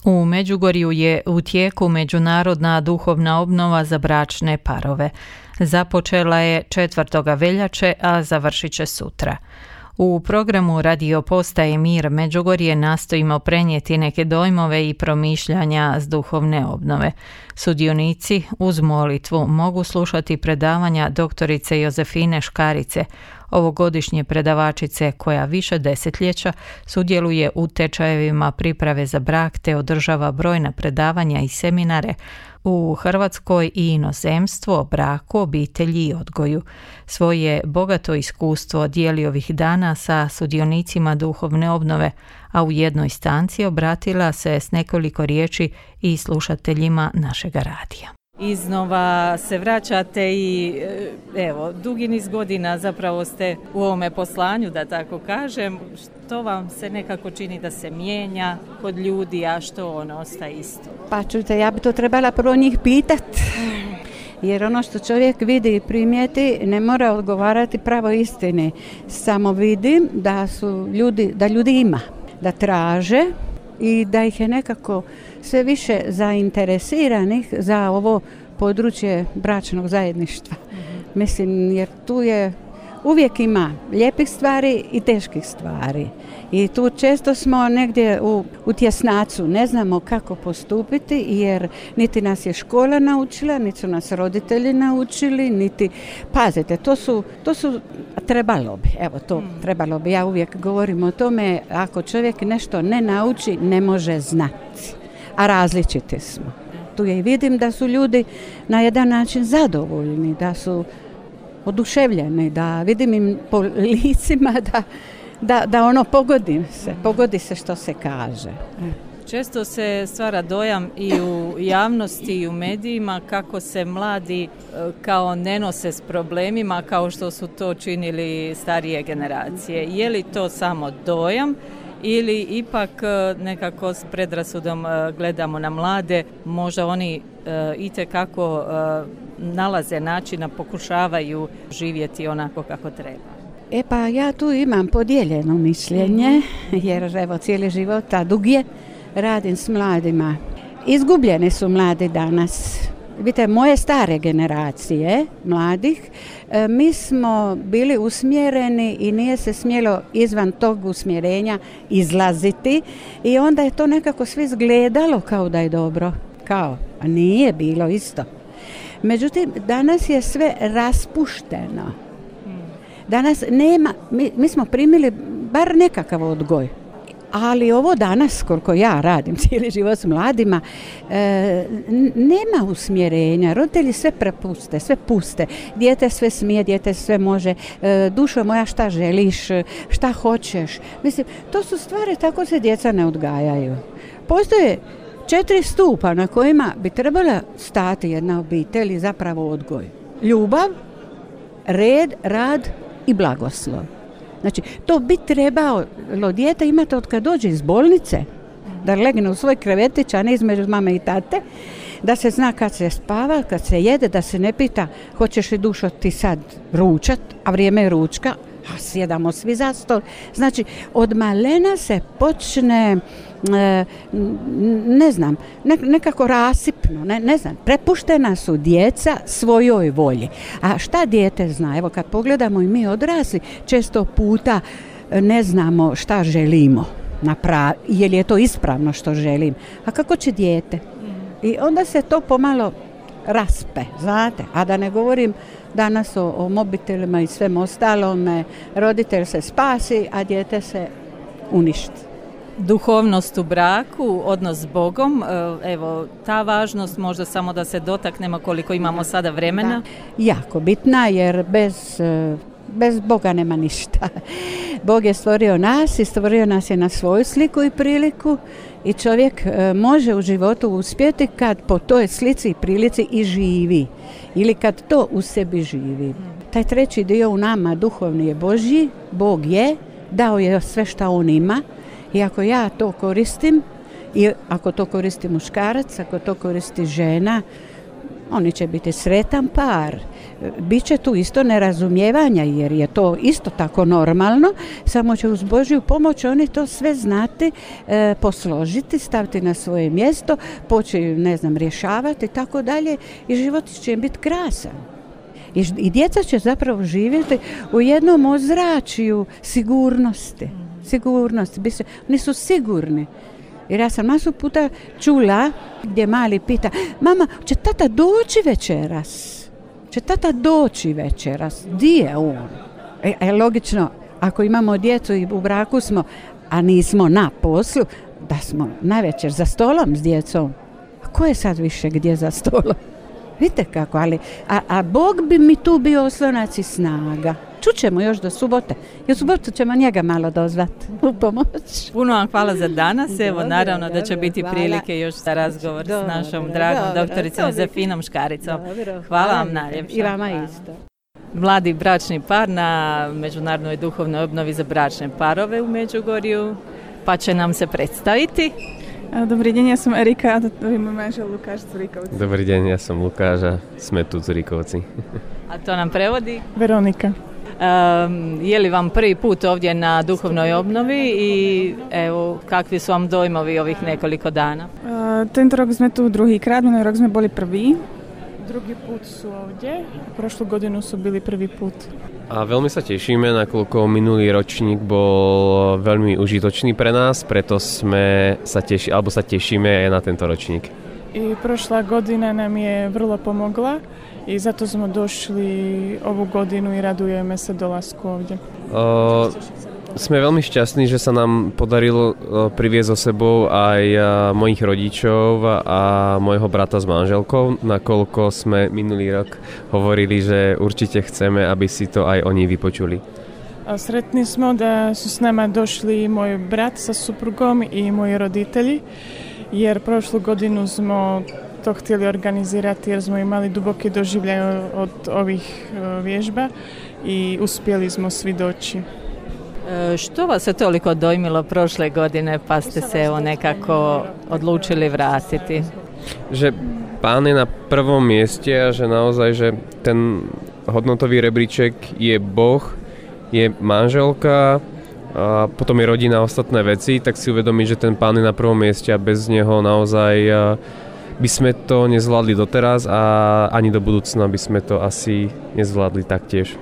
U Međugorju je u tijeku međunarodna duhovna obnova za bračne parove. Započela je 4. veljače, a završit će sutra. U programu radio postaje Mir Međugorje nastojimo prenijeti neke dojmove i promišljanja s duhovne obnove. Sudionici uz molitvu mogu slušati predavanja doktorice Jozefine Škarice, ovogodišnje predavačice koja više desetljeća sudjeluje u tečajevima priprave za brak te održava brojna predavanja i seminare u Hrvatskoj i inozemstvu o braku, obitelji i odgoju. Svoje bogato iskustvo dijeli ovih dana sa sudionicima duhovne obnove, a u jednoj stanci obratila se s nekoliko riječi i slušateljima našega radija. Iznova se vraćate i evo, dugi niz godina zapravo ste u ovome poslanju, da tako kažem. Što vam se nekako čini da se mijenja kod ljudi, a što ono ostaje isto? Pa čujte, ja bi to trebala prvo njih pitati. Jer ono što čovjek vidi i primijeti ne mora odgovarati pravo istini. Samo vidim da ljudi ima, da traže i da ih je nekako sve više zainteresiranih za ovo područje bračnog zajedništva. Mislim, jer tu je uvijek ima lijepih stvari i teških stvari. I tu često smo negdje u tjesnacu, ne znamo kako postupiti jer niti nas je škola naučila, niti su nas roditelji naučili, niti, pazite, to su trebalo bi, trebalo bi. Ja uvijek govorim o tome, ako čovjek nešto ne nauči, ne može znati, a različiti smo. Tu je i vidim da su ljudi na jedan način zadovoljni, da su oduševljeni, da vidim im po licima da ono pogodi se što se kaže. Često se stvara dojam i u javnosti i u medijima kako se mladi kao ne nose s problemima kao što su to činili starije generacije. Je li to samo dojam ili ipak nekako s predrasudom gledamo na mlade, možda oni itekako nalaze načina, pokušavaju živjeti onako kako treba? Pa ja tu imam podijeljeno mišljenje, jer evo cijeli život, a dug je, radim s mladima. Izgubljeni su mladi danas. Vidite, moje stare generacije mladih, mi smo bili usmjereni i nije se smjelo izvan tog usmjerenja izlaziti i onda je to nekako svi izgledalo kao da je dobro, a nije bilo isto. Međutim, danas je sve raspušteno. Danas nema, mi smo primili bar nekakav odgoj. Ali ovo danas, koliko ja radim cijeli život s mladima, nema usmjerenja. Roditelji sve prepuste, sve puste. Dijete sve smije, dijete sve može. Dušo moja, šta želiš, šta hoćeš. Mislim, to su stvari, tako se djeca ne odgajaju. Postoje 4 stupa na kojima bi trebala stati jedna obitelj i zapravo odgoj. Ljubav, red, rad i blagoslov. Znači, to bi trebalo dijete imati od kad dođe iz bolnice, da legne u svoj krevetić, a ne između mame i tate, da se zna kad se spava, kad se jede, da se ne pita hoćeš li dušo ti sad ručat, a vrijeme je ručka, a sjedamo svi za stol. Znači, od malena se počne, nekako rasipno, prepuštena su djeca svojoj volji. A šta dijete zna? Evo, kad pogledamo i mi odrasli, često puta ne znamo šta želimo, je li je to ispravno što želim. A kako će dijete? I onda se to pomalo raspe, znate, a da ne govorim danas o mobitelima i svem ostalome, roditelj se spasi, a dijete se uništi. Duhovnost u braku, odnos s Bogom, evo, ta važnost možda samo da se dotaknemo koliko imamo sada vremena. Da, jako bitna jer bez Boga nema ništa. Bog je stvorio nas i stvorio nas je na svoju sliku i priliku i čovjek može u životu uspjeti kad po toj slici i prilici i živi ili kad to u sebi živi. Taj treći dio u nama, duhovni, je Božji, Bog je, dao je sve što on ima i ako ja to koristim i ako to koristi muškarac, ako to koristi žena, Oni će biti sretan par. Biće tu isto nerazumijevanja jer je to isto tako normalno, samo će uz Božju pomoć oni to sve znati, posložiti, staviti na svoje mjesto, početi, rješavati i tako dalje i život će im biti krasan. I djeca će zapravo živjeti u jednom ozračju sigurnosti. Oni su sigurni. Jer ja sam masu puta čula gdje mali pita, mama, će tata doći večeras? Di je on? Logično, ako imamo djecu i u braku smo, a nismo na poslu, da smo navečer za stolom s djecom. A ko je sad više gdje za stolom? Vidite kako, ali a Bog bi mi tu bio oslonac i snaga. Čućemo još do subote. I u subotu ćemo njega malo dozvati u pomoć. Puno vam hvala za danas. Evo, naravno da će biti prilike još za razgovor s našom dragom doktoricom Jozefinom Škaricom. Hvala vam najljepša. I vama isto. Mladi bračni par na Međunarodnoj duhovnoj obnovi za bračne parove u Međugorju, pa će nam se predstaviti. Dobrý deň, ja som Erika a to je môj manžel Lukáš Zurikovci. Dobrý deň, ja som Lukáš a sme tu Zurikovci. A to nam prevodi? Veronika. Je li vam prvi put ovdje na duhovnoj obnovi i evo, kakvi su vam dojmovi ovih nekoliko dana? Tento rok sme tu druhýkrát, minulý rok sme boli prví. Druhý put sú ovdje, prošlú godinu sú byli prvý put. A veľmi sa tešíme, nakoľko minulý ročník bol veľmi užitočný pre nás, preto sa tešíme aj na tento ročník. I prošla godina nam je vrlo pomogla i zato smo došli ovu godinu i radujeme se dolasku ovdje. Sme veľmi šťastní, že sa nám podarilo priviesť so sebou aj mojich rodičov a mojho brata s manželkou, nakoľko sme minulý rok hovorili, že určite chceme, aby si to aj oni vypočuli. Sretni smo da su s nama došli moj brat sa suprugom i moji roditelji, jer prošlu godinu smo to htjeli organizirati jer smo imali duboki doživljaj od ovih vježba i uspjeli smo svi doći. Što vas je toliko dojmilo prošle godine pa ste se evo nekako odlučili vratiti? Že Pán je na prvom mieste a že naozaj, že ten hodnotový rebríček je Boh, je manželka a potom je rodina a ostatné veci, tak si uvedomiť, že ten Pán je na prvom mieste a bez neho naozaj by sme to nezvládli doteraz a ani do budúcna by sme to asi nezvládli taktiež.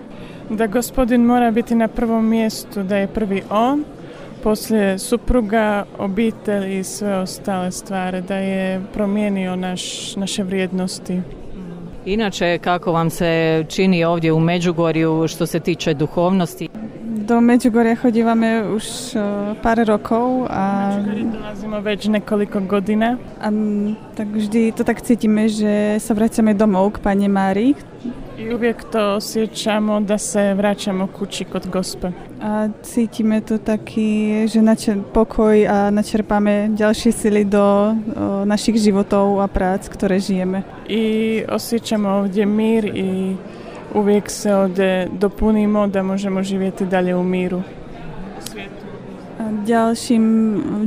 Da gospodin mora biti na prvom mjestu, da je prvi on, poslije supruga, obitelj i sve ostale stvari, da je promijenio naše vrijednosti. Inače, kako vam se čini ovdje u Međugorju što se tiče duhovnosti? Do Međugorja hodívame už pár rokov a dolazimo već nekoliko godina. A tak vždy to tak cítime, že sa vraćame domov k Pani Márii. I uvijek to osjećamo da se vraćamo kući kod Gospe. A cítime to taký, že pokoj a načerpáme ďalšie sily do našich životov a prác, ktoré žijeme. I osjećamo ovdje mir i uvijek se ovdje dopunimo da možemo živjeti dalje u miru.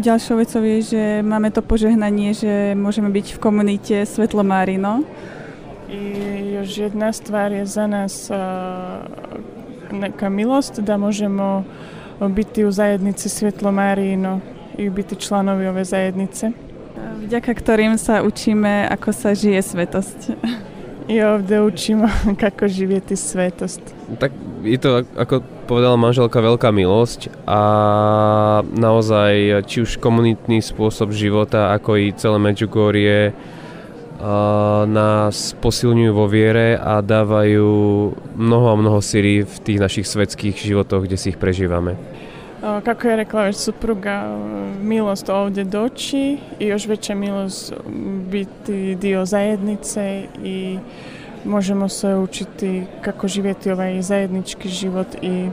Ďalšou vecou je, že máme to požehnanie, že môžeme byť v komunite Svetlo Márino. I još jedna stvar je za nas neka milost da možemo biti u zajednici Svetlo Márino i biti članovi ove zajednice. Vďaka ktorým sa učíme, ako sa žije svetosť. I ovdje učimo kako živjeti svetost. Tak je to, ako povedala manželka, veľká milosť a naozaj či už komunitný spôsob života, ako i celé Medjugorje nás posilňujú vo viere a dávajú mnoho a mnoho síly v tých našich svetských životoch, kde si ich prežívame. Kako je rekla već supruga, milost ovdje doći i još veća milost biti dio zajednice i možemo se učiti kako živjeti ovaj zajednički život i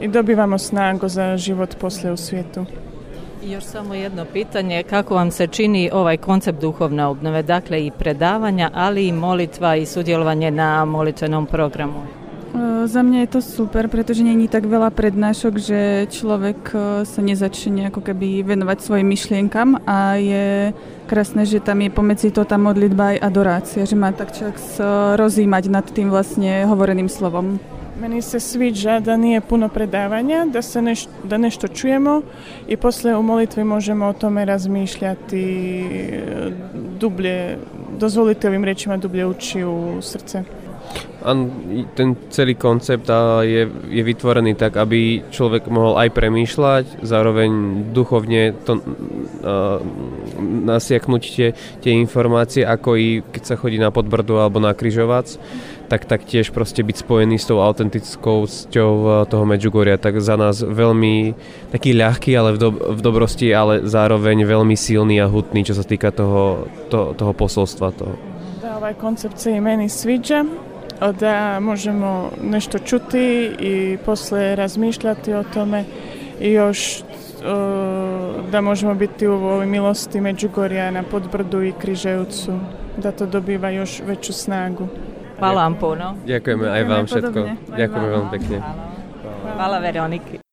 dobivamo snagu za život poslije u svijetu. I još samo jedno pitanje, kako vam se čini ovaj koncept duhovne obnove, dakle i predavanja, ali i molitva i sudjelovanje na molitvenom programu? Za mňa je to super, pretože nie je tak veľa prednášok, že človek sa nezačne ako keby venovať svojim myšlienkam a je krásne, že tam je pomedzi to tá modlitba aj adorácia, že má tak človek rozímať nad tým vlastne hovoreným slovom. Meni se sviđa da nije puno predavanja, da nešto čujemo i poslije u molitvi možemo o tome razmišljati dublje, dozvoliti ovim rečima dublje ući u srdce. Ten celý koncept je vytvorený tak, aby človek mohol aj premýšľať, zároveň duchovne to nasiaknúť tie informácie, ako i keď sa chodí na Podbrdu alebo na Križovac, tak tiež proste byť spojený s tou autentickosťou toho Medžugoria. Tak za nás veľmi taký ľahký, ale v dobrosti, ale zároveň veľmi silný a hutný, čo sa týka toho posolstva. Da, ovaj koncept se i meni sviđa. Da možemo nešto čuti i posle razmišljati o tome i još da možemo biti u ovoj milosti Međugorja na Podbrdu i Križevcu, da to dobiva još veću snagu. Hvala vam puno. Ďakujeme aj vám všetko. Ďakujeme veľmi pekne. Hvala Veroniki.